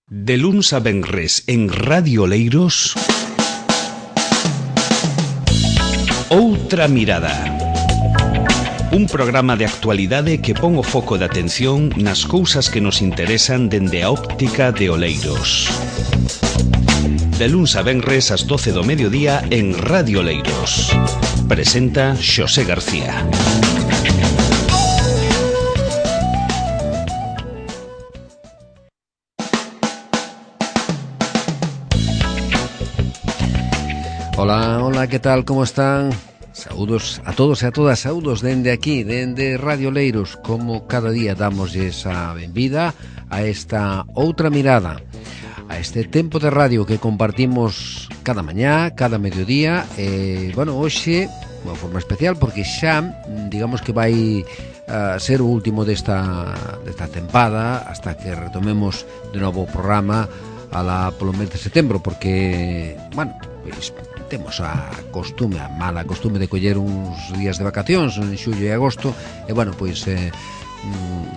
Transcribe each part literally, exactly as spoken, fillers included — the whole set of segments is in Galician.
De luns a venres en Radio Oleiros, Outra Mirada. Un programa de actualidade que pon o foco de atención nas cousas que nos interesan dende a óptica de Oleiros. De luns a venres ás doce do mediodía en Radio Oleiros. Presenta Xosé García. Hola, hola, que tal, como están? Saúdos a todos e a todas, saúdos dende aquí, dende Radio Oleiros. Como cada día damos esa benvida a esta outra mirada, a este tempo de radio que compartimos cada mañá, cada mediodía. E, bueno, hoxe, de unha forma especial, porque xa, digamos que vai a ser o último desta, desta tempada, hasta que retomemos de novo o programa ala polo mes de setembro, porque, bueno, pois temos a costume, a mala costume de coller uns días de vacacións en xullo e agosto, e bueno, pois eh,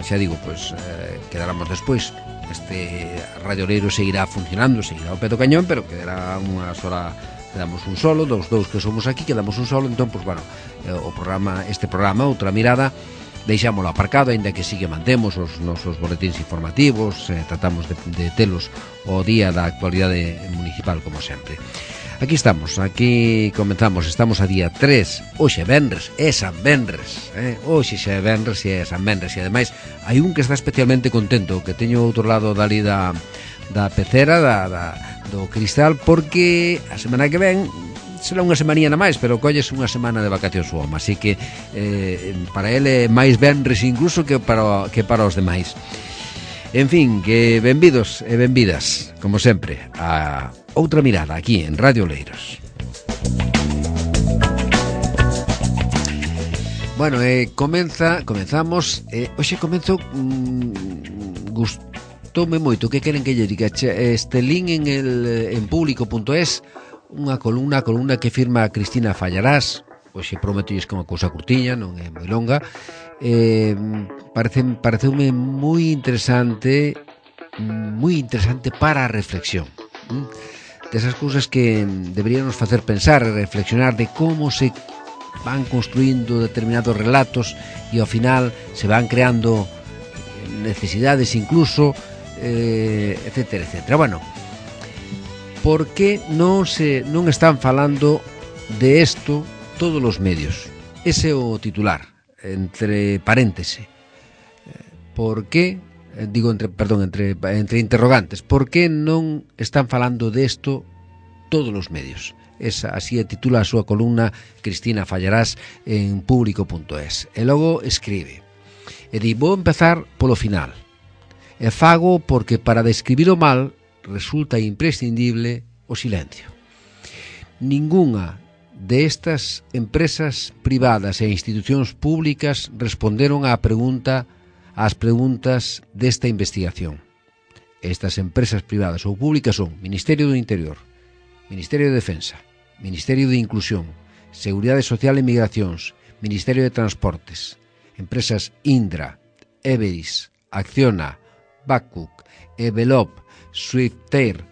xa digo, pois eh, quedáramos despois. Este Radio Oleiro seguirá funcionando, seguirá ao pé do cañón, pero quedará unha sola, quedamos un solo, dos dous que somos aquí, quedamos un solo. Entón, pois bueno, eh, o programa, este programa, Outra Mirada, deixámoslo aparcado, ainda que sí que mantemos os nosos boletíns informativos, eh, tratamos de, de telos o día da actualidade municipal, como sempre. Aquí estamos, aquí comenzamos, estamos a día tres, hoxe é venres, é San Venres, eh? Hoxe xa é venres e é San Venres, e ademais hai un que está especialmente contento, que teño outro lado dali da, da pecera, da, da, do cristal, porque a semana que ven será unha semanía na máis, pero colles unha semana de vacacións o home, así que eh, para ele é máis venres incluso que para, que para os demais. En fin, que benvidos e benvidas, como sempre, a Outra Mirada aquí en Radio Oleiros. Bueno, eh, comeza, comenzamos, eh, hoxe comenzo, mm, gustoume moito, que queren que lle diga, este link en el en público punto es, unha columna, columna que firma Cristina Fallarás. Hoxe prometolles que é unha cousa curtiña, non é moi longa. Eh, parece, pareceume moi interesante, moi interesante para a reflexión. Desas cousas que deberíamos facer pensar e reflexionar de como se van construindo determinados relatos e ao final se van creando necesidades incluso, eh, etcétera, etcétera. Bueno, por que non se non están falando de isto todos os medios? Ese é o titular, entre paréntese. Por que, digo, entre, perdón, entre, entre interrogantes, por que non están falando desto todos os medios? Esa, así titula a súa columna Cristina Fallarás en público punto es. E logo escribe, e di, vou empezar polo final, e fago porque para describir o mal resulta imprescindible o silencio. Ningunha de estas empresas privadas e institucións públicas responderon á pregunta ás preguntas desta investigación. Estas empresas privadas ou públicas son Ministerio do Interior, Ministerio de Defensa, Ministerio de Inclusión, Seguridade Social e Migracións, Ministerio de Transportes, empresas Indra, Everis, Acciona, Babcock, Evelop, Swiftair,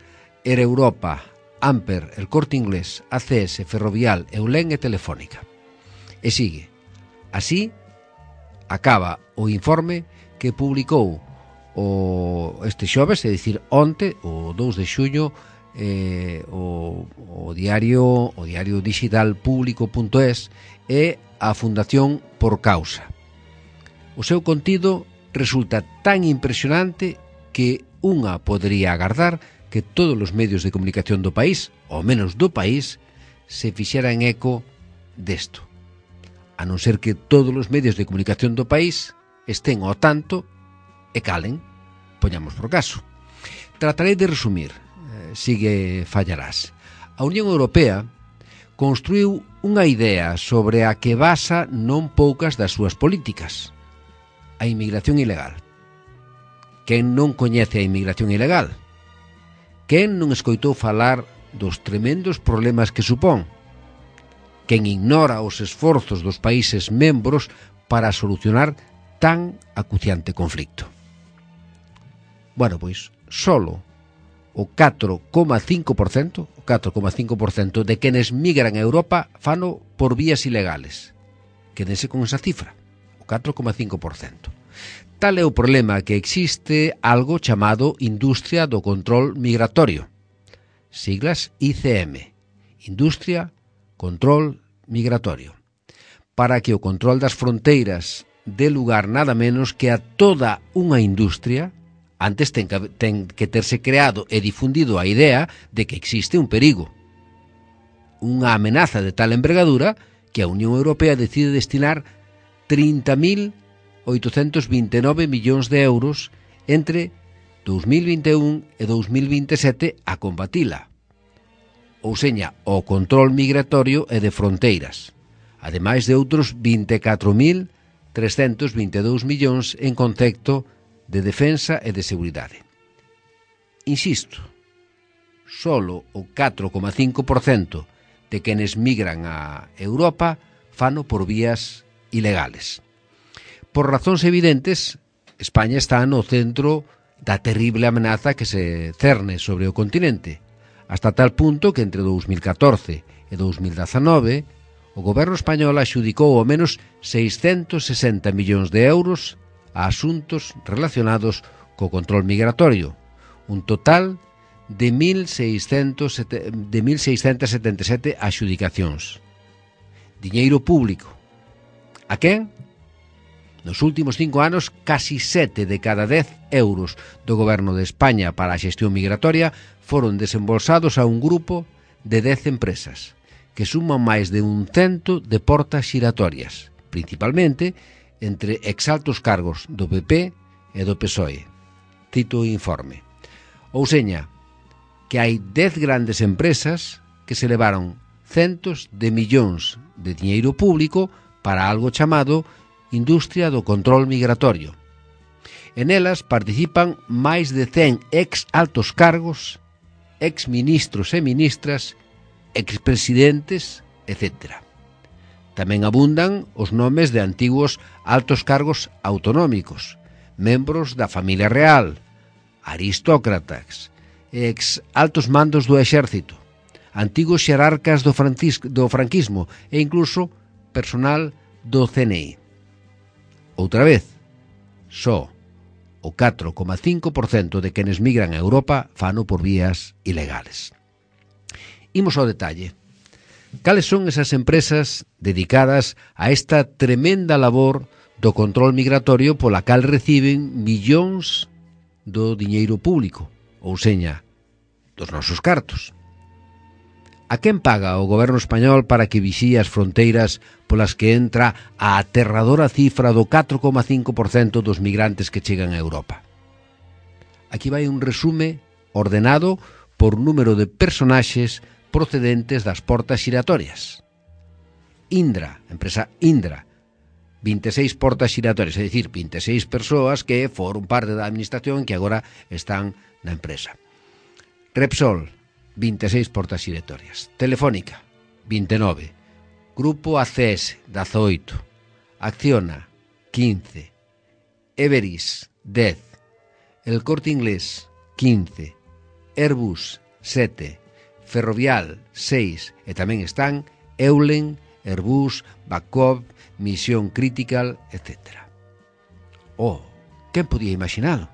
Air Europa, Amper, El Corte Inglés, A C S, Ferrovial, Eulen e Telefónica. E sigue. Así acaba o informe que publicou o este xoves, é dicir, onte, o dous de xullo, eh, o, o diario o diario digital público punto es e a Fundación Por Causa. O seu contido resulta tan impresionante que unha podería agardar que todos os medios de comunicación do país, ou menos do país, se fixeran eco desto. A non ser que todos os medios de comunicación do país estén ao tanto e calen, poñamos por caso. Tratarei de resumir, eh, sigue Fallarás. A Unión Europea construiu unha idea sobre a que basa non poucas das súas políticas: a inmigración ilegal. Quen non coñece a inmigración ilegal? Quen non escoitou falar dos tremendos problemas que supón? Quen ignora os esforzos dos países membros para solucionar tan acuciante conflicto? Bueno, pois, solo o catro coma cinco por cento, o catro coma cinco por cento de quenes migran a Europa fano por vías ilegales. Quédense con esa cifra, o catro coma cinco por cento. Tal é o problema que existe algo chamado Industria do Control Migratorio, siglas I C M, Industria Control Migratorio, para que o control das fronteiras dé lugar nada menos que a toda unha industria. Antes ten que, ten que terse creado e difundido a idea de que existe un perigo, unha amenaza de tal envergadura que a Unión Europea decide destinar trinta mil oitocentos vinte e nove millóns de euros entre dous mil vinte e un e dous mil vinte e sete a combatila, ou seña, o control migratorio e de fronteiras, ademais de outros vinte e catro mil trescentos vinte e dous millóns en concepto de defensa e de seguridade. Insisto, solo o catro coma cinco por cento de quenes migran a Europa fano por vías ilegales. Por razóns evidentes, España está no centro da terrible amenaza que se cerne sobre o continente, hasta tal punto que entre dous mil catorce e dous mil dezanove o goberno español axudicou ao menos seiscentos sesenta millóns de euros a asuntos relacionados co control migratorio, un total de mil seiscentos setenta e sete axudicacións. Diñeiro público. A quen? Nos últimos cinco anos, casi sete de cada dez euros do goberno de España para a xestión migratoria foron desembolsados a un grupo de dez empresas, que suman máis de un cento de portas xiratorias, principalmente entre exaltos cargos do P P e do P S O E. Cito o informe. Ou seña, que hai dez grandes empresas que se levaron centos de millóns de diñeiro público para algo chamado Industria do Control Migratorio. En elas participan máis de cen ex altos cargos, ex ministros e ministras, expresidentes, etcétera. Tamén abundan os nomes de antigos altos cargos autonómicos, membros da familia real, aristócratas, ex altos mandos do exército, antigos xerarcas do, do franquismo e incluso personal do C N I. Outra vez, só o catro coma cinco por cento de quenes migran a Europa fano por vías ilegales. Imos ao detalle. Cales son esas empresas dedicadas a esta tremenda labor do control migratorio pola cal reciben millóns do diñeiro público, ou seña, dos nosos cartos? A quen paga o goberno español para que vixíe as fronteiras polas que entra a aterradora cifra do catro coma cinco por cento dos migrantes que chegan a Europa? Aquí vai un resume ordenado por número de personaxes procedentes das portas xiratorias. Indra, empresa Indra, vinte e seis portas xiratorias, é dicir, vinte e seis persoas que foron parte da administración que agora están na empresa. Repsol, vinte e seis portas xiratorias. Telefónica, vinte e nove. Grupo A C S, dezaoito. Acciona, quince. Everis, dez. El Corte Inglés, quince. Airbus, sete. Ferrovial, seis, e tamén están Eulen, Airbus, Babcock, Misión Critical, etcétera. Oh, quen podía imaginalo?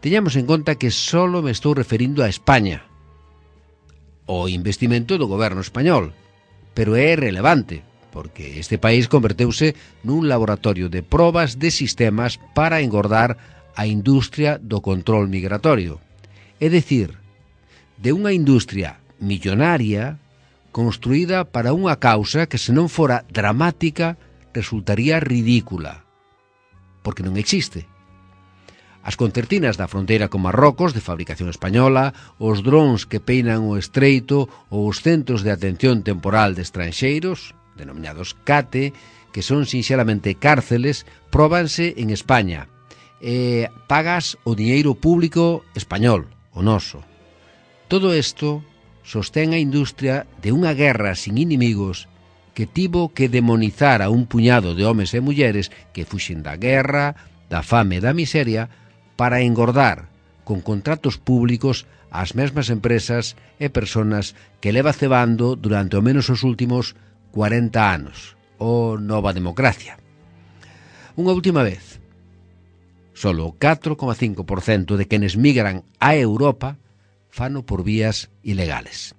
Teñamos en conta que só me estou referindo a España, o investimento do goberno español, pero é relevante, porque este país converteuse nun laboratorio de probas de sistemas para engordar a industria do control migratorio. É dicir, de unha industria millonaria construída para unha causa que, se non fora dramática, resultaría ridícula, porque non existe. As concertinas da fronteira con Marrocos, de fabricación española, os drons que peinan o estreito ou os centros de atención temporal de estranxeiros, denominados CATE, que son sinxelamente cárceles, próbanse en España. E pagas o diñeiro público español, o noso. Todo isto sostén a industria de unha guerra sin inimigos que tivo que demonizar a un puñado de homes e mulleres que fuxen da guerra, da fame e da miseria para engordar con contratos públicos ás mesmas empresas e persoas que leva cebando durante ao menos os últimos cuarenta anos, o Nova Democracia. Unha última vez, solo o catro coma cinco por cento de quenes migran a Europa fano por vías ilegales.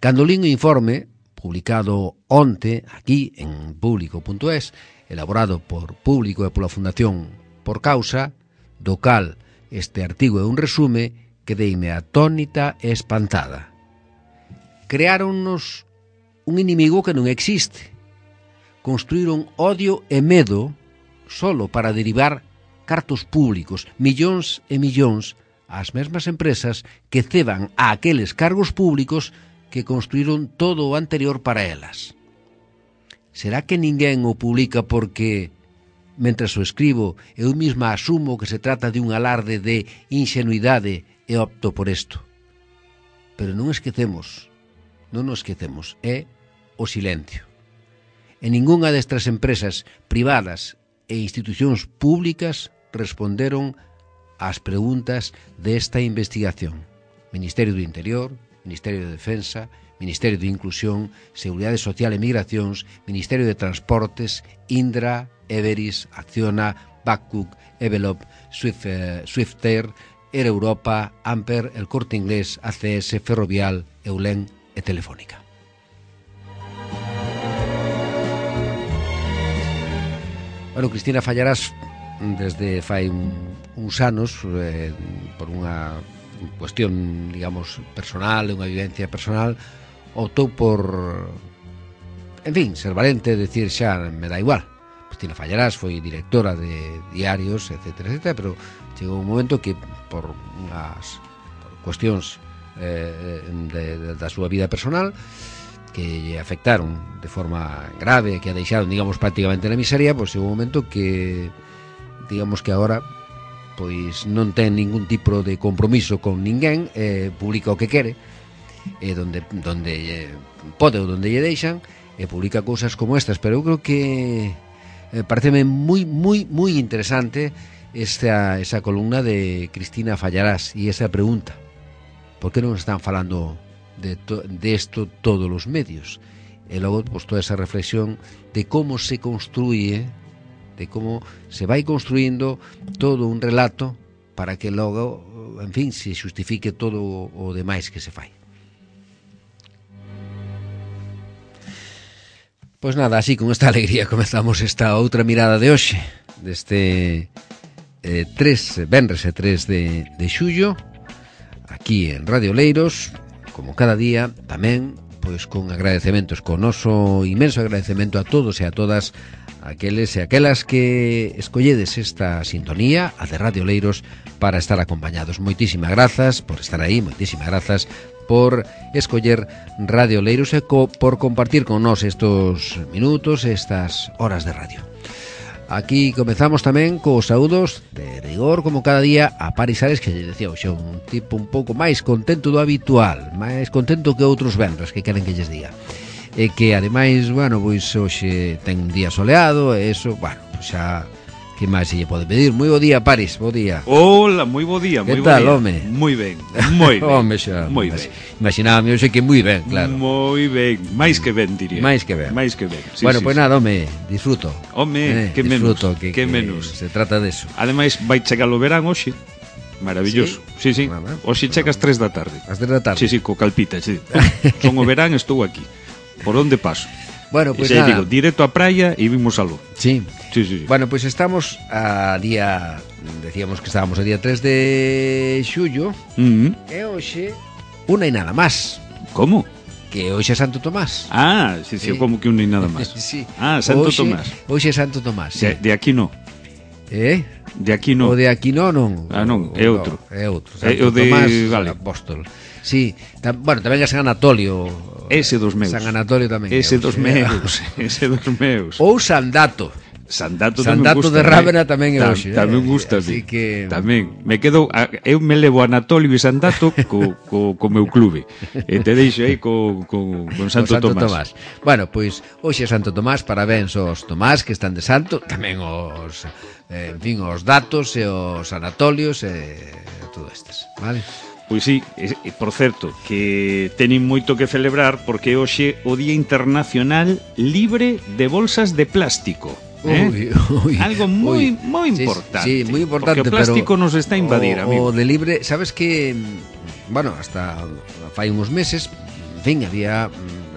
Cando lín o informe, publicado onte aquí en público punto es, elaborado por Público e pola Fundación Por Causa, do cal este artigo é un resume, quedeime atónita e espantada. Creáronnos un inimigo que non existe. Construíron odio e medo solo para derivar cartos públicos, millóns e millóns, ás mesmas empresas que ceban a aqueles cargos públicos que construíron todo o anterior para elas. Será que ninguén o publica porque, mentras o escribo, eu mesma asumo que se trata de un alarde de ingenuidade e opto por isto? Pero non esquecemos, non nos esquecemos, é o silencio. E ningunha destas empresas privadas e institucións públicas responderon ás preguntas desta investigación. Ministerio do Interior, Ministerio de Defensa, Ministerio de Inclusión, Seguridade Social e Migracións, Ministerio de Transportes, Indra, Everis, Acciona, Babcock, Evelop, Swift, eh, Swiftair, Air Europa, Amper, El Corte Inglés, A C S, Ferrovial, Eulen e Telefónica. Bueno, Cristina Fallarás, desde fai un, uns anos, eh, por unha cuestión, digamos, personal, unha vivencia personal, optou por, en fin, ser valente, decir xa, me dá igual. Cristina Fallarás foi directora de diarios, etcétera, etcétera, pero chegou un momento que por unhas por cuestións eh, de, de, da súa vida personal que lle afectaron de forma grave, que a deixaron, digamos, prácticamente na miseria, pois chegou un momento que, digamos que agora pois non ten ningún tipo de compromiso con ninguén, eh, publica o que quere, e donde, donde eh, pode ou donde lle deixan, e publica cousas como estas, pero eu creo que eh, pareceme moi, moi, moi interesante esta, esa columna de Cristina Fallarás e esa pregunta: por que non están falando de, to, de esto todos os medios? E logo, pues, toda esa reflexión de como se construye, de como se vai construindo todo un relato para que logo, en fin, se justifique todo o demais que se fai. Pois nada, así con esta alegría comezamos esta outra mirada de hoxe, deste eh, tres, venres e tres de, de xullo, aquí en Radio Leiros, como cada día, tamén pois con agradecementos, con noso inmenso agradecemento a todos e a todas aqueles e aquelas que escolledes esta sintonía, a de Radio Leiros, para estar acompañados. Moitísimas grazas por estar aí, moitísimas grazas por escoller Radio Leiros e co, por compartir con nós estos minutos, estas horas de radio. Aquí comezamos tamén cos saúdos de rigor, como cada día, a Paris Ares, que lle decía hoxe, un tipo un pouco máis contento do habitual, máis contento que outros venres, que queren que lles diga. E que, ademais, bueno, pois hoxe ten un día soleado, e eso, bueno, pois xa, que máis se lle pode pedir? Moi bo día, Paris, bo día. Hola, moi bo día, moi bo tal, día. home? Moi ben, moi ben. Home, xa, moi ben. Imaginábame hoxe que moi ben, claro. Moi ben, máis que ben, diría. Máis que ben. Máis que ben. Sí, bueno, sí, pois pues sí. nada, home, disfruto. Home, eh, que menos, que, que, que menos. Se trata deso. Ademais, vai chegar o verán hoxe. Maravilloso. Sí, sí. sí. Nada. Hoxe chega ás tres da tarde. Ás tres da tarde. Sí, sí, co calpita, sí. Son o verán, estou aquí. Por onde paso? Bueno, pois pues nada. digo, directo á praia e vimos aló. Sí. Sí, sí, sí. Bueno, pois pues estamos a día, decíamos que estábamos a día tres de xullo, Mm-hmm. e hoxe unha e nada máis, Como? que hoxe é Santo Tomás. Ah, sí, sí, Sí. como que un ni nada máis. Sí. Ah, Santo Hoxe- Tomás. Hoxe é Santo Tomás, sí. De, de aquí no. Eh? De aquí no. O de aquí non, non. Ah, non, é outro. No, é outro. É Santo o de- Tomás, vale. apóstol. Sí, tam, bueno, tamén é San Anatolio. Ese dos meus. San Anatolio tamén. é Ese outro. dos meus. Ese dos meus. Ou San Dato. Sandato, Sandato gusta, de Rávena tamén é Tam, hoxe. Tamén eh? gusta, Así que... Tamén. Me quedo, eu me levo a Anatolio e Sandato co, co, co meu clube. E te deixo aí co, co, con Santo, Santo Tomás. Tomás. Bueno, pois hoxe é Santo Tomás, parabéns aos Tomás que están de santo, tamén os, eh, en fin, os datos e os anatolios e todo estes, vale? Pois sí, e, e, por certo, que teñen moito que celebrar porque hoxe o Día Internacional Libre de Bolsas de Plástico. ¿Eh? Uy, uy, Algo moi uy. moi Sí, importante. sí, moi importante, porque o plástico pero nos está a invadir, o, amigo. o de libre, sabes que bueno, hasta fai uns meses, en fin, había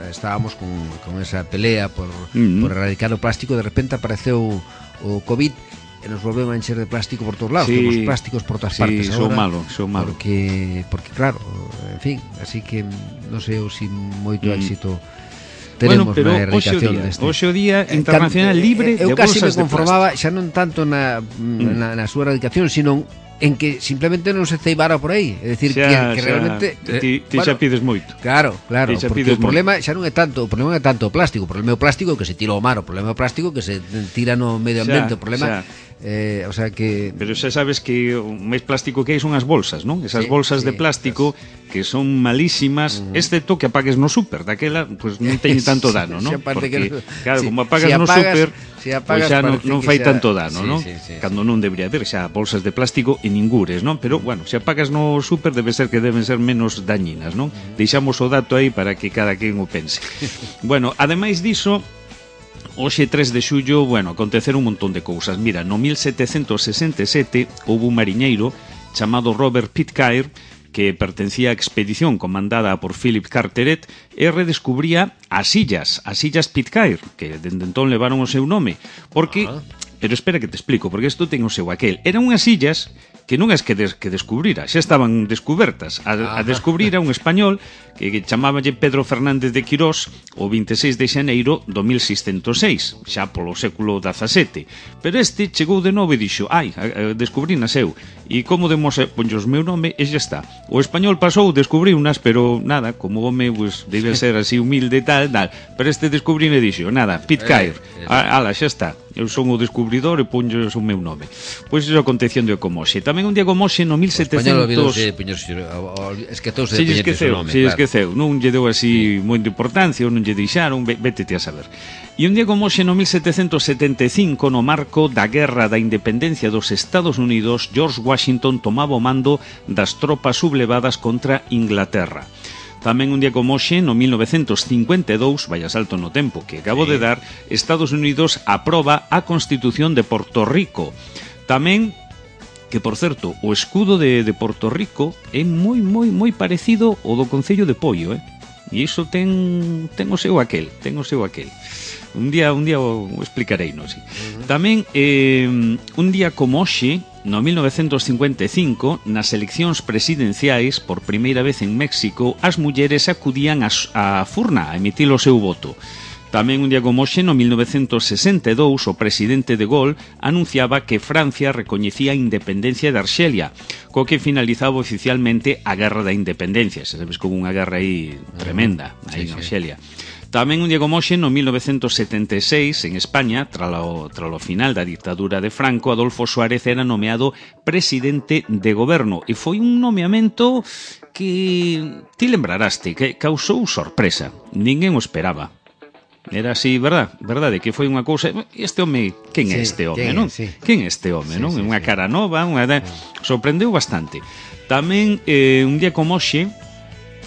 estábamos con, con esa pelea por, mm-hmm. por erradicar o plástico, de repente apareceu o COVID e nos volveu a encher de plástico por todos lados, sí, temos plásticos por todas sí, partes son agora. malo, son malo. Porque, porque claro, en fin, así que non sei eu se si moito mm. éxito teremos bueno, pero na erradicación deste. Hoxe o Día Internacional Libre eu de casi bolsas me conformaba xa non tanto na, mm. na, na súa erradicación, sino en que simplemente non se ceibara por aí, é dicir, xa, que, que xa, realmente ti, ti bueno, xa pides moito. Claro, claro, porque o problema moito. xa non é tanto, o problema é tanto o plástico, o problema é o plástico que se tira ao mar, o problema é o plástico que se tira no medio ambiente, xa, o problema xa. Eh, o sea que... Pero xa sabes que o máis plástico que hai son as bolsas, non? Esas sí, bolsas sí, de plástico pues... que son malísimas, uh-huh. excepto que apagues no súper, daquela pues non teñen tanto dano, non? Porque, que... claro, sí, como apagas si no súper, si pues xa non, non fai xa... tanto dano, sí, non? Sí, sí, cando sí. Non debería haber xa bolsas de plástico e ningures, non? Pero, bueno, se apagas no súper debe ser que deben ser menos dañinas, non? Uh-huh. Deixamos o dato aí para que cada quen o pense. Bueno, ademais diso, hoxe tres de xullo, bueno, aconteceron un montón de cousas. Mira, no mil setecentos sesenta e sete houve un mariñeiro chamado Robert Pitcairn que pertencía á expedición comandada por Philip Carteret e redescubría as illas, as illas Pitcairn, que dende entón levaron o seu nome, porque... Ah. Pero espera que te explico, porque isto ten o seu aquel. Eran unhas illas que non es que, des, que descubrira, xa estaban descubertas. A, a descubrir a un español que, que chamáballe Pedro Fernández de Quirós o vinte e seis de xaneiro do mil seiscentos e seis, xa polo século dezasete. Pero este chegou de novo e dixo, ai, descubrinas eu, e como demos ponllos meu nome, e xa está. O español pasou, descubrí unas, pero nada, como home, pues, debe ser así humilde e tal, tal, pero este descubrí e dixo, nada, Pitcairn, eh, eh. ala, xa está. Eu son o descubridor e ponlles o meu nome. Pois iso acontecendo como hoxe. Tamén un día como hoxe no mil setecentos... Es que todos se esqueceu, se esqueceu. Non lle deu así moita importancia, ou non lle deixaron, vétete a saber. E un día como hoxe no mil setecentos setenta e cinco, no marco da Guerra da Independencia dos Estados Unidos, George Washington tomaba o mando das tropas sublevadas contra Inglaterra. Tamén un día como hoxe, no mil novecentos cincuenta e dous, vaya salto no tempo que acabo sí. de dar, Estados Unidos aproba a Constitución de Porto Rico. Tamén, que por certo, o escudo de, de Porto Rico é moi, moi, moi parecido ao do Concello de Poio, eh? E iso ten, ten o seu aquel, ten o seu aquel. Un día, un día o explicarei, non? Sí. Uh-huh. Tamén, eh, un día como hoxe, no mil novecentos cincuenta e cinco, nas eleccións presidenciais, por primeira vez en México, as mulleres acudían á furna a emitir o seu voto. Tamén un día como hoxe, no mil novecentos sesenta e dous, o presidente de Gaulle anunciaba que Francia recoñecía a independencia de Arxelia, co que finalizaba oficialmente a Guerra da Independencia. Se sabes que houve unha guerra aí tremenda, aí sí, en Arxelia. Sí. Tamén un día como hoxe, no mil novecentos setenta e seis, en España, tralo, tralo final da dictadura de Franco, Adolfo Suárez era nomeado presidente de goberno. E foi un nomeamento que ti lembraraste, que causou sorpresa. Ninguén o esperaba. Era así, verdad? Verdade, que foi unha cousa... Este home, quen é este home, non? Sí. Quen é este home, non? Unha cara nova, unha... sorprendeu bastante. Tamén, eh, un día como hoxe,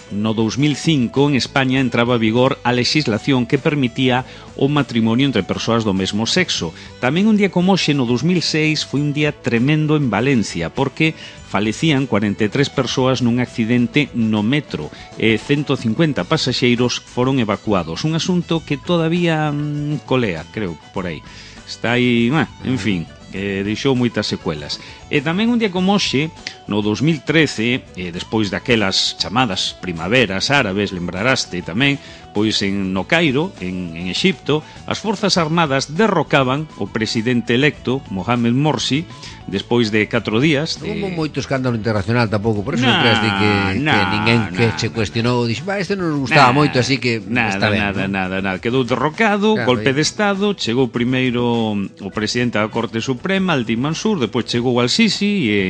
no dous mil cinco, en España entraba a vigor a legislación que permitía o matrimonio entre persoas do mesmo sexo. Tamén un día como hoxe, no dous mil seis, foi un día tremendo en Valencia, porque falecían cuarenta e tres persoas nun accidente no metro e ciento cincuenta pasaxeiros foron evacuados. Un asunto que todavía mmm, colea, creo, por aí. Está aí, ah, en fin, que deixou moitas secuelas. E tamén un día como hoxe, no dous mil trece, e despois daquelas chamadas primaveras árabes, lembraraste tamén, pois en no Cairo, en, en Exipto, as forzas armadas derrocaban o presidente electo Mohamed Morsi despois de catro días de... Non houve moito escándalo internacional tampouco, por eso nah, non creas de que, nah, que ninguén que nah, che cuestionou dixo, este non nos gustaba nah, moito, así que nada, está ben, nada, ¿no? nada, nada, quedou derrocado, claro, golpe aí. de estado, chegou primeiro o presidente da Corte Suprema, Altin Mansur, depois chegou Al-Sisi e,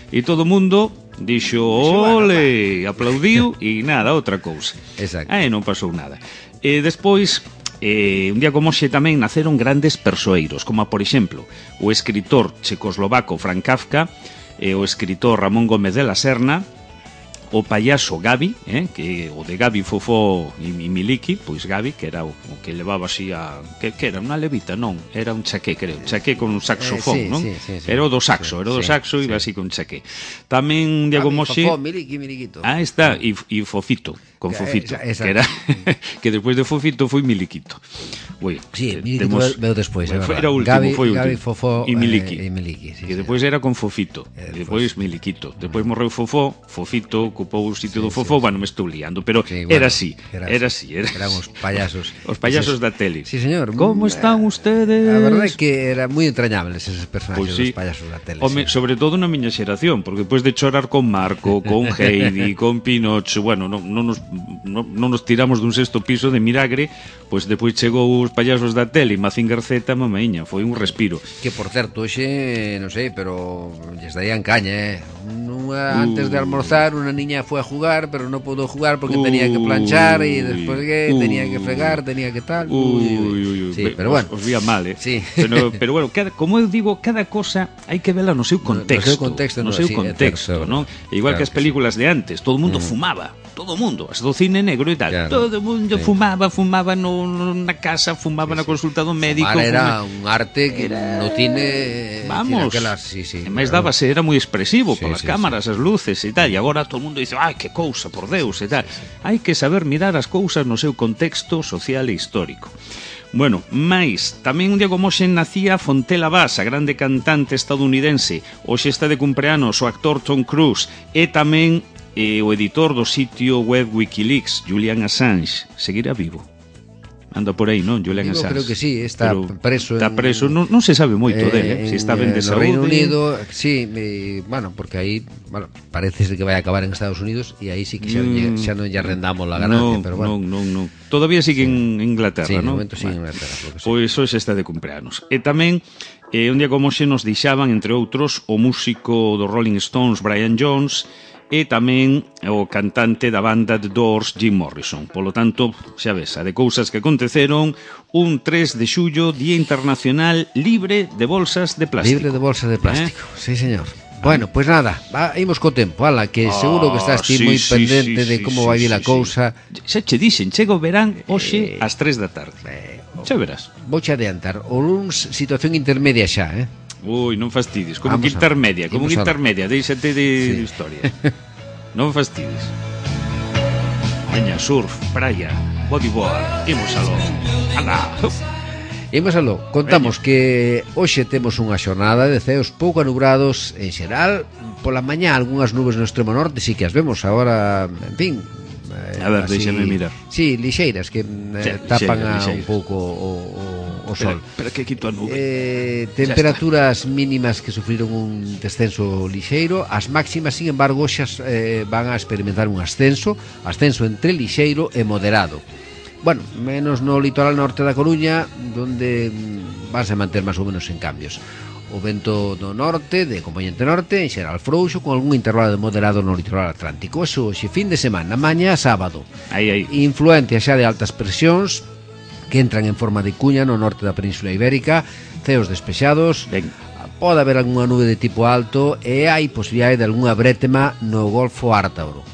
e todo o mundo dixo ole, aplaudiu e nada, outra cousa. Exacto. E non pasou nada. E despois Eh, un día como hoxe tamén naceron grandes persoeiros, como por exemplo o escritor checoslovaco Franz Kafka, e o escritor Ramón Gómez de la Serna, o payaso Gabi, eh, que o de Gabi Fofó e Miliki, pois Gabi, que era o, o que levaba así a... Que, que era unha levita, non, era un chaqué, creo, chaqué con un saxofón, eh, sí, non? Sí, sí, sí. Era o do saxo, era o do Sí, saxo e iba sí. así con chaqué. Tamén un día como hoxe... Fofó, Miliki, Miliquito. Ah, está, e, e Fofito, con Que, Fofito, esa, esa. que era que despois de Fofito foi Miliquito. Ui, Sí, te- Miliquito temos- veo despois, é Foi- verdad. Era o último, Gabi, foi o último. Gabi, Fofó e Miliki. eh, e Miliki, sí, E sí. depois era con Fofito, E e depois Miliquito. Depois morreu Fofó, Fofito ocupou o sitio Sí, do sí, Fofó, sí. bueno, me estou liando, pero Sí, era bueno, así, era era así. así, era Eran os payasos. Os payasos Eses- da tele. Sí, señor. Como están ustedes? A verdade é que era moi entrañables eses personaxes Pois sí. dos payasos da tele. Home, sí. sobre todo na miña xeración, porque despois de chorar con Marco, con Heidi, con Pinocho, bueno, non, non, nos, non, non nos tiramos dun sexto piso de milagre, pois depois chegou os payasos da tele e Mazinger Z, mamaiña, foi un respiro. Que, por certo, hoxe, non sei, pero lles darían caña, eh? Nunha, antes de almorzar, unha niña foi a jugar, pero non pudo jugar porque tenía que planchar e despois que Uy. tenía que fregar, tenía que tal. Uy, uy, uy. Sí, Be- pero os, bueno. os vía mal, eh? Sí. Pero, pero bueno, cada, como eu digo, cada cosa hai que vela no seu No- no contexto. seu contexto, no no, seu sí, é contexto, certo, non? Igual claro que as que sí. películas de antes, todo o mundo fumaba, todo o mundo, as do cine negro e tal. Claro, Todo o mundo sí. fumaba, fumaba no, no, na casa, fumaba na consulta do médico. Fumar era fuma- un arte que no cine... Vamos, aquelas, sí, sí, e máis claro. dábase, era moi expresivo Sí, polas sí, cámaras, as luces e tal, e agora todo o mundo dice, ai, que cousa, por Deus, e tal. Hai que saber mirar as cousas no seu contexto social e histórico. Bueno, máis, tamén un día como hoxe nacía Fontella Bass, a grande cantante estadounidense. Hoxe está de cumpleanos o actor Tom Cruise e tamén eh, o editor do sitio web Wikileaks, Julian Assange. Seguirá vivo. Anda por aí, non, Julian Digo, Assange? creo que sí, está Pero preso Está en- preso, non, non se sabe moito Eh, dele, eh? Se está ben de no saúde. Reino Unido, sí, me, bueno, porque aí, bueno, parece ser que vai a acabar en Estados Unidos e aí sí que xa, Mm, mm, xa non lle arrendamos la ganancia, non, pero bueno. non, non, non. Todavía sigue en Inglaterra, Sí, no non? momento sí, en Bueno. Inglaterra, creo que sí. Pois hoxe está de cumpleanos. E tamén, eh, un día como hoxe nos deixaban, entre outros, o músico dos Rolling Stones, Brian Jones, e tamén o cantante da banda The Doors, Jim Morrison. Polo tanto, xa ves, a de cousas que aconteceron un tres de xullo, Día Internacional Libre de Bolsas de Plástico. Libre de bolsas de plástico, Eh? sí, señor. Bueno, pues nada, va, imos co tempo, ala, que seguro que estás ti Ah, sí, moi sí, pendente sí, de sí, como sí, vai vir a sí, cousa. sí. Xa che dixen, chega o verán hoxe Eh, ás tres da tarde. Eh, Xa verás. Vouche adiantar, o luns situación intermedia xa, eh? Ui, non fastidies, como Vamos que a- intermedia, como imos que a- intermedia, deixate de, Sí. de historia. Non fastidies. Veña, surf, praia, bodyboard, imos aló. Anda. Imos aló, contamos que hoxe temos unha xornada de ceos pouco anubrados en xeral. Pola mañá algunhas nubes no extremo norte, sí que as vemos agora, en fin. eh, A ver, déxame mirar. Sí, lixeiras que eh, Sí, tapan lixeiras, a un lixeiras. pouco o, o, o sol. Espera, espera que quito a nube. Eh, temperaturas mínimas que sufriron un descenso lixeiro. As máximas, sin embargo, xa eh, van a experimentar un ascenso, ascenso entre lixeiro e moderado. Bueno, menos no litoral norte da Coruña, donde mm, vanse a manter máis ou menos en cambios. O vento do norte, de componente norte, en xeral frouxo, con algún intervalo de moderado no litoral atlántico. Eso, xe fin de semana, mañá sábado. Aí, aí. Influencia xa de altas presións que entran en forma de cuña no norte da Península Ibérica, ceos despexados, Ben. pode haber algunha nube de tipo alto e hai posibilidade de algunha brétema no Golfo Ártabro.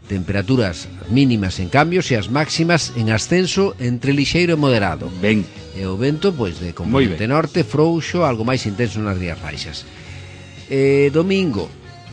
Temperaturas mínimas en cambios e as máximas en ascenso entre lixeiro e moderado. Ben. E o vento, pois, de Moi componente ben. norte, frouxo, algo máis intenso nas Rías Baixas. E domingo,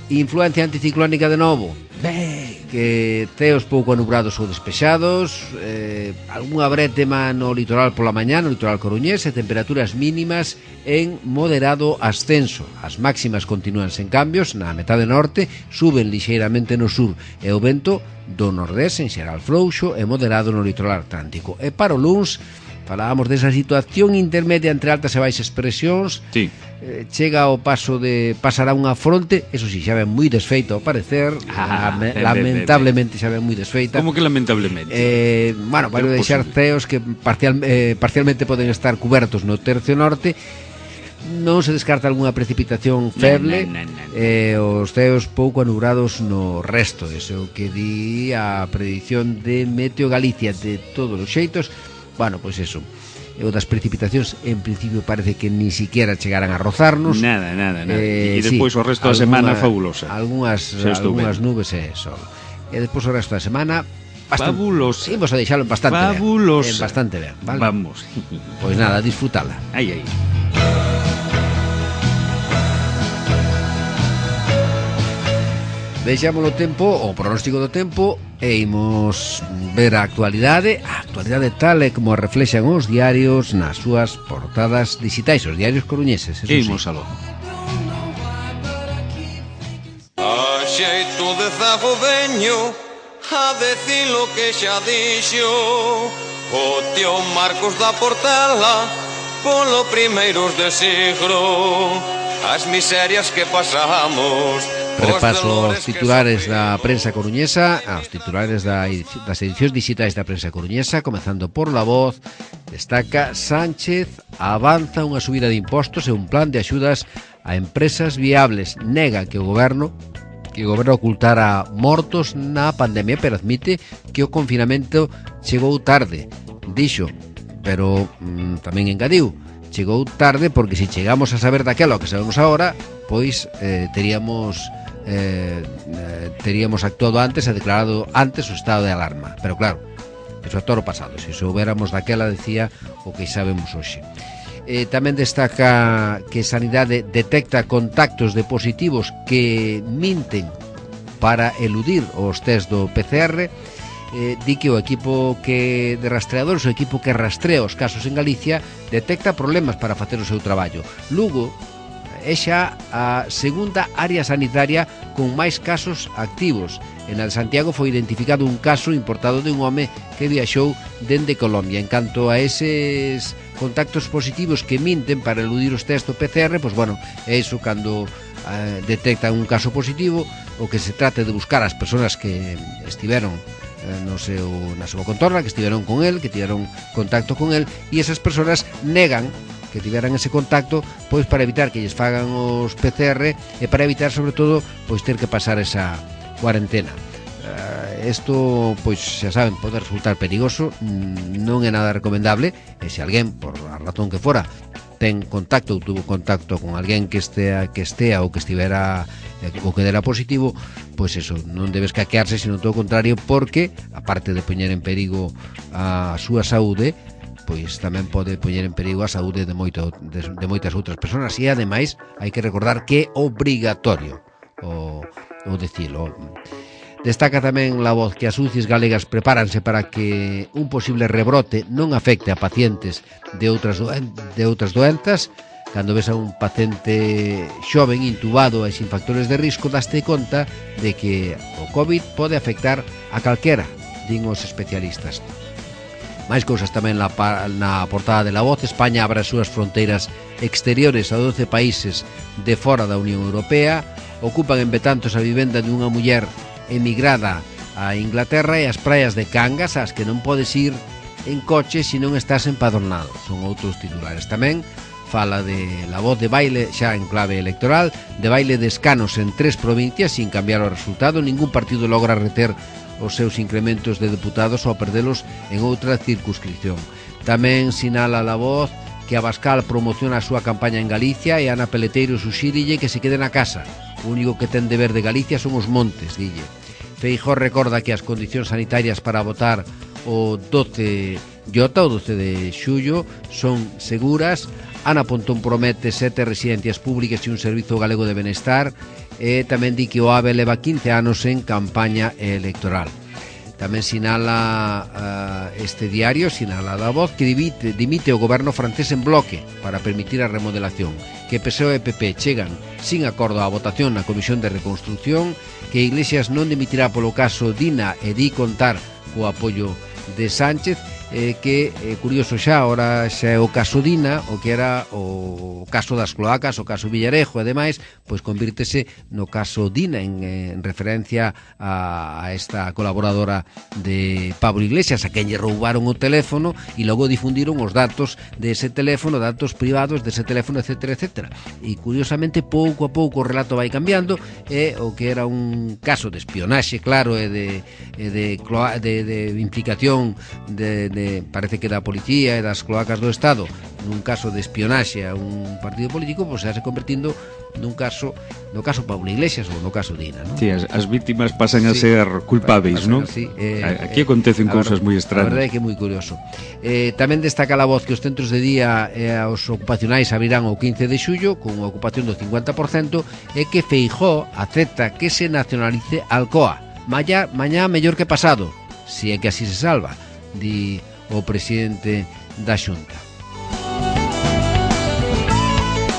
influencia anticiclónica de novo. Ben, que ceos pouco anubrados ou despexados, eh, algunha brétema no litoral pola mañá, no litoral coruñés, e temperaturas mínimas en moderado ascenso. As máximas continúan sen cambios na metade norte, suben lixeiramente no sur, e o vento do nordés en xeral frouxo e moderado no litoral atlántico. E para o luns falábamos desa situación intermedia entre altas e baixas presións. Sí. Eh, chega ao paso de pasará unha fronte, eso si, xa ven moi desfeita ao parecer, ah, lame, ben, lamentablemente xa ven moi desfeita. Como que lamentablemente? Eh, bueno, vai deixar ceos que parcial, eh, parcialmente poden estar cubertos no tercio norte. Non se descarta algunha precipitación feble, no, no, no, no. Eh, os ceos pouco anubrados no resto. Eso que di a predición de Meteo Galicia. De todos os xeitos, bueno, pois eso, o das precipitacións en principio parece que ni siquiera chegarán a rozarnos. Nada, nada, nada. Eh, E despois sí, o resto da semana fabulosa. Algúnas, algúnas nubes e sol. E despois o resto da semana bastante, fabulosa. Imos a deixalo bastante fabulosa. ben. Eh, bastante ben, vale? Vamos. Pois nada, disfrutala. Aí, aí. Deixamos o tempo, o pronóstico do tempo, e imos ver a actualidade, a actualidade tal e como a reflexan os diarios nas súas portadas digitais, os diarios coruñeses. Imos aló. A xeito de zago veño a decir lo que xa dixo o tío Marcos da Portela polo primeiros de siglo, as miserias que pasamos. Repaso aos titulares da prensa coruñesa, aos titulares da, das edicións digitais da prensa coruñesa, comezando por La Voz. Destaca: Sánchez avanza unha subida de impostos e un plan de axudas a empresas viables. Nega que o goberno que o goberno ocultara mortos na pandemia, pero admite que o confinamento chegou tarde. Dixo, pero mm, tamén engadiu, chegou tarde porque se chegamos a saber daquela o que sabemos agora, pois eh, teríamos eh, eh, teríamos actuado antes e declarado antes o estado de alarma. Pero claro, eso é todo o pasado. Se soubéramos daquela, decía, o que sabemos hoxe. Eh, tamén destaca que Sanidade detecta contactos de positivos que minten para eludir os test do P C R. Eh, di que o equipo que de rastreadores, o equipo que rastrea os casos en Galicia, detecta problemas para facer o seu traballo. Lugo é xa a segunda área sanitaria con máis casos activos. En el Santiago foi identificado un caso importado de un home que viaxou dende Colombia. En canto a eses contactos positivos que minten para eludir os test do P C R, pois bueno, é iso cando eh, detectan un caso positivo, o que se trate de buscar as persoas que estiveron eh, no seu, na súa contorna, que estiveron con el, que tiveron contacto con el, e esas persoas negan que tiveran ese contacto, pois para evitar que lles fagan os P C R e para evitar, sobre todo, pois ter que pasar esa cuarentena. Isto, uh, pois, xa saben, pode resultar perigoso, non é nada recomendable, e se alguén, por a razón que fora, ten contacto ou tuvo contacto con alguén que estea, que estea ou que estivera ou que dera positivo, pois eso, non debes caquearse, sino todo o contrario, porque, aparte de poñer en perigo a súa saúde, pois tamén pode poñer en perigo a saúde de, moito, de, de moitas outras persoas. E ademais hai que recordar que é obrigatorio o, o decilo. Destaca tamén La Voz que as U C Is galegas prepáranse para que un posible rebrote non afecte a pacientes de outras, doen de outras doenzas. Cando ves a un paciente xoven, intubado e sin factores de risco, daste conta de que o COVID pode afectar a calquera, din os especialistas. Máis cousas tamén na, na portada de La Voz. España abre as súas fronteiras exteriores a doce países de fora da Unión Europea. Ocupan en Betanzos a vivenda dunha muller emigrada a Inglaterra e as praias de Cangas, ás que non podes ir en coche se non estás empadronado. Son outros titulares. Tamén fala de La Voz de baile xa en clave electoral, de baile de escanos en tres provincias sin cambiar o resultado. Ningún partido logra reter os seus incrementos de deputados ou perdelos en outra circunscripción. Tamén sinala La Voz que Abascal promociona a súa campaña en Galicia e Ana Peleteiro suxírille que se quede na casa. O único que ten deber de Galicia son os montes, dille. Feijóo recorda que as condicións sanitarias para votar o doce J, o doce de xullo, son seguras. Ana Pontón promete sete residencias públicas e un servizo galego de benestar, e tamén di que o AVE leva quince anos en campaña electoral. Tamén sinala uh, este diario, sinala da Voz, que dimite, dimite o goberno francés en bloque para permitir a remodelación, que P S O E e P P chegan sin acordo á votación na Comisión de Reconstrucción, que Iglesias non dimitirá polo caso Dina e di contar co apoio de Sánchez, eh, que é eh, curioso xa, ora xa é o caso Dina, o que era o caso das cloacas, o caso Villarejo e demais, pois convírtese no caso Dina en, en referencia a, a esta colaboradora de Pablo Iglesias, a quen lle roubaron o teléfono e logo difundiron os datos dese teléfono, datos privados dese teléfono, etcétera, etcétera. E curiosamente pouco a pouco o relato vai cambiando, e o que era un caso de espionaxe, claro, e de, e de, de, de implicación de, de parece que da policía e das cloacas do Estado nun caso de espionaxe a un partido político, pois se convertindo nun caso, no caso Pablo Iglesias ou no caso Dina, non? Sí, as, as vítimas pasan a sí, ser culpáveis, non? Sí, eh, aquí acontecen eh, cousas moi extrañas. A verdade é que é moi curioso. Eh, tamén destaca a Voz que os centros de día e eh, os ocupacionais abrirán o quince de xullo con unha ocupación do cincuenta por cento, e que Feijóo acepta que se nacionalice Alcoa. Mañá, mañá mellor que pasado, si é que así se salva, di o presidente da Xunta.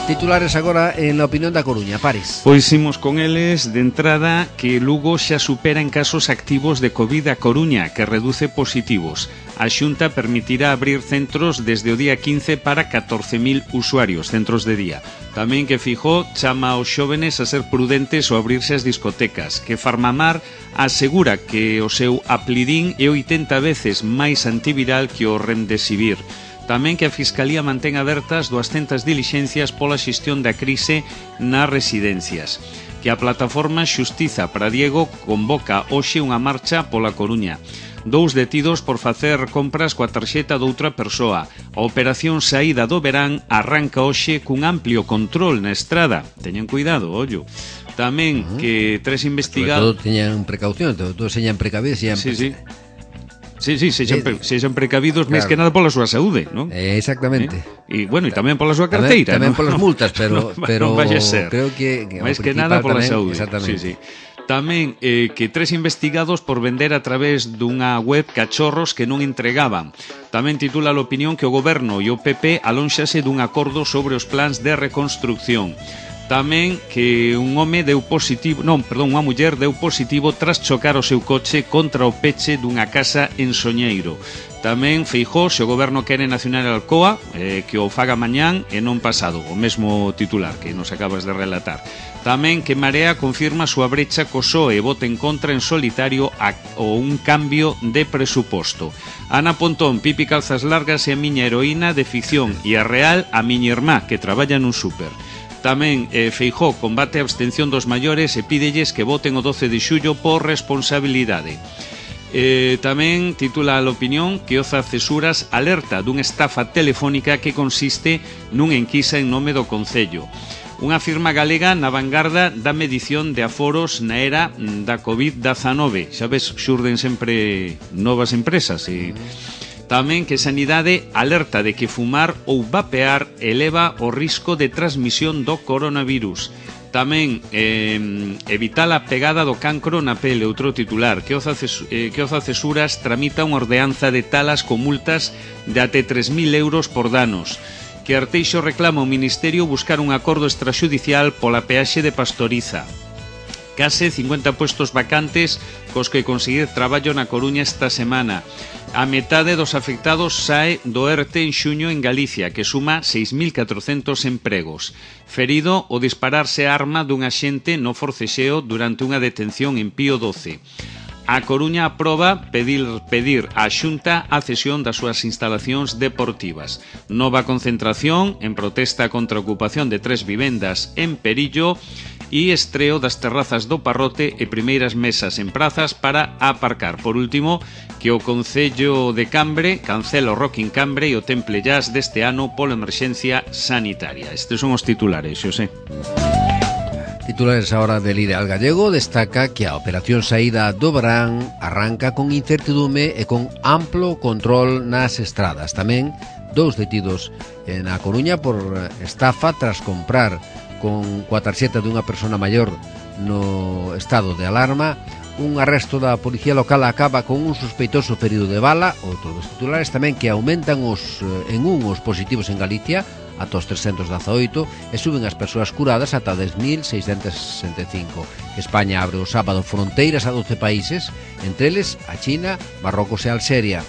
Titulares agora en la opinión da Coruña, Paris. Pois imos con eles de entrada que Lugo xa supera en casos activos de COVID a Coruña, que reduce positivos. A Xunta permitirá abrir centros desde o día quince para catorce mil usuarios, centros de día. Tamén que Feijóo chama aos xóvenes a ser prudentes ao abrirse as discotecas, que Farmamar asegura que o seu aplidín é oitenta veces máis antiviral que o Remdesivir. Tamén que a Fiscalía mantén abertas duascentas dilixencias pola xestión da crise nas residencias. Que a plataforma Xustiza para Diego convoca hoxe unha marcha pola Coruña. Dous detidos por facer compras coa tarxeta doutra persoa. A operación Saída do Verán arranca hoxe cun amplio control na estrada. Teñan cuidado, ollo. Tamén uh -huh. que tres investigados... Sobre todo teñan precaución, todos señan precavidos. Señan sí, sí. Sí, sí, sexan, pre, sexan precavidos, claro, máis que nada pola súa saúde, non? Eh, exactamente. E, eh? bueno, e tamén pola súa carteira, tamén, tamén ¿no? polas multas, pero, no, pero non vai a ser. Creo que, que máis que nada pola tamén, saúde. Exactamente. Sí, sí. Tamén eh, que tres investigados por vender a través dunha web cachorros que non entregaban. Tamén titula a opinión que o goberno e o P P alónxase dun acordo sobre os plans de reconstrucción. Tamén que un home deu positivo, non, perdón, unha muller deu positivo tras chocar o seu coche contra o peche dunha casa en Soñeiro. Tamén Feijóo, se o goberno quere nacional Alcoa, eh, que o faga mañán e non pasado, o mesmo titular que nos acabas de relatar. Tamén que Marea confirma a súa brecha co P S O E e vota en contra en solitario a, o un cambio de presuposto. Ana Pontón, Pipi Calzas Largas e a miña heroína de ficción, e a Real a miña irmá, que traballa nun súper. Tamén eh, Feijóo combate a abstención dos maiores e pídelles que voten o doce de xullo por responsabilidade. Eh, tamén titula a opinión que Oza Cesuras alerta dunha estafa telefónica que consiste nun enquisa en nome do Concello. Unha firma galega na vanguarda da medición de aforos na era da COVID dezanove. Xa ves, xurden sempre novas empresas e... Tamén que Sanidade alerta de que fumar ou vapear eleva o risco de transmisión do coronavirus. Tamén eh, evitar a pegada do cancro na pele, outro titular, que Oza, eh, que Oza Cesuras tramita unha ordenanza de talas con multas de até tres mil euros por danos. Que Arteixo reclama ao Ministerio buscar un acordo extrajudicial pola peaxe de Pastoriza. Case cincuenta puestos vacantes cos que conseguir traballo na Coruña esta semana. A metade dos afectados sae do E R T en xuño en Galicia, que suma seis mil catrocentos empregos. Ferido o dispararse a arma dun axente no forcexeo durante unha detención en Pío doce. A Coruña aproba pedir, pedir á Xunta a cesión das súas instalacións deportivas. Nova concentración en protesta contra a ocupación de tres vivendas en Perillo e estreo das terrazas do Parrote e primeiras mesas en prazas para aparcar. Por último, que o Concello de Cambre cancela o Rock in Cambre e o Temple Jazz deste ano pola emerxencia sanitaria. Estes son os titulares, Xosé. Titulares ahora del Ideal Gallego destaca que a operación Saída do Verán arranca con incertidume e con amplo control nas estradas. Tamén dous detidos na Coruña por estafa tras comprar con coa tarxeta dunha persona maior no estado de alarma. Un arresto da policía local acaba con un sospeitoso ferido de bala. Outro dos titulares tamén que aumentan os en un os positivos en Galicia ata os trescentos dezaoito e suben as persoas curadas ata dez mil seiscentos sesenta e cinco. España abre o sábado fronteiras a doce países, entre eles a China, Marrocos e Alxeria.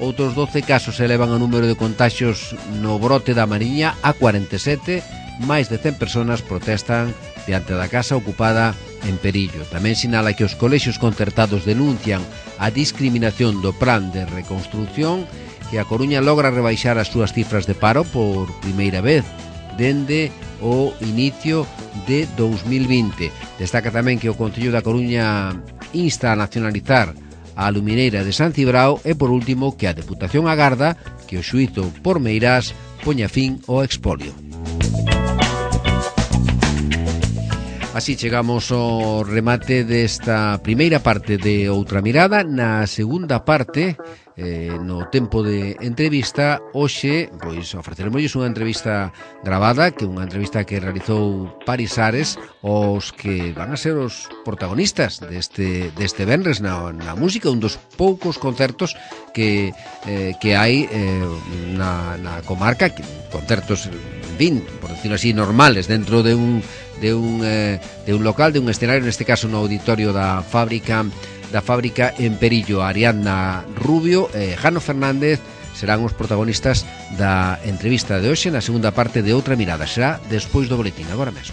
Outros doce casos elevan o número de contaxios no brote da Mariña a cuarenta e sete. Máis de cen persoas protestan diante da casa ocupada en Perillo. Tamén sinala que os colexios concertados denuncian a discriminación do plan de reconstrucción, que a Coruña logra rebaixar as súas cifras de paro por primeira vez dende o inicio de dous mil vinte. Destaca tamén que o Concello da Coruña insta a nacionalizar a alumineira de San Cibrao e, por último, que a Deputación agarda que o xuízo por Meirás poña fin ao expolio. Así chegamos ao remate desta primeira parte de Outra Mirada. Na segunda parte, eh, no tempo de entrevista, hoxe pois ofreceremosles unha entrevista gravada, que é unha entrevista que realizou Paris Ares aos que van a ser os protagonistas deste, deste venres na, na música, un dos poucos concertos que, eh, que hai eh, na, na comarca, que, concertos, en fin, por decirlo así, normales, dentro de un de un, eh, de un local, de un escenario, neste caso no auditorio da fábrica da fábrica en Perillo. Ariadna Rubio e Jano Fernández serán os protagonistas da entrevista de hoxe na segunda parte de Outra Mirada. Será despois do boletín, agora mesmo.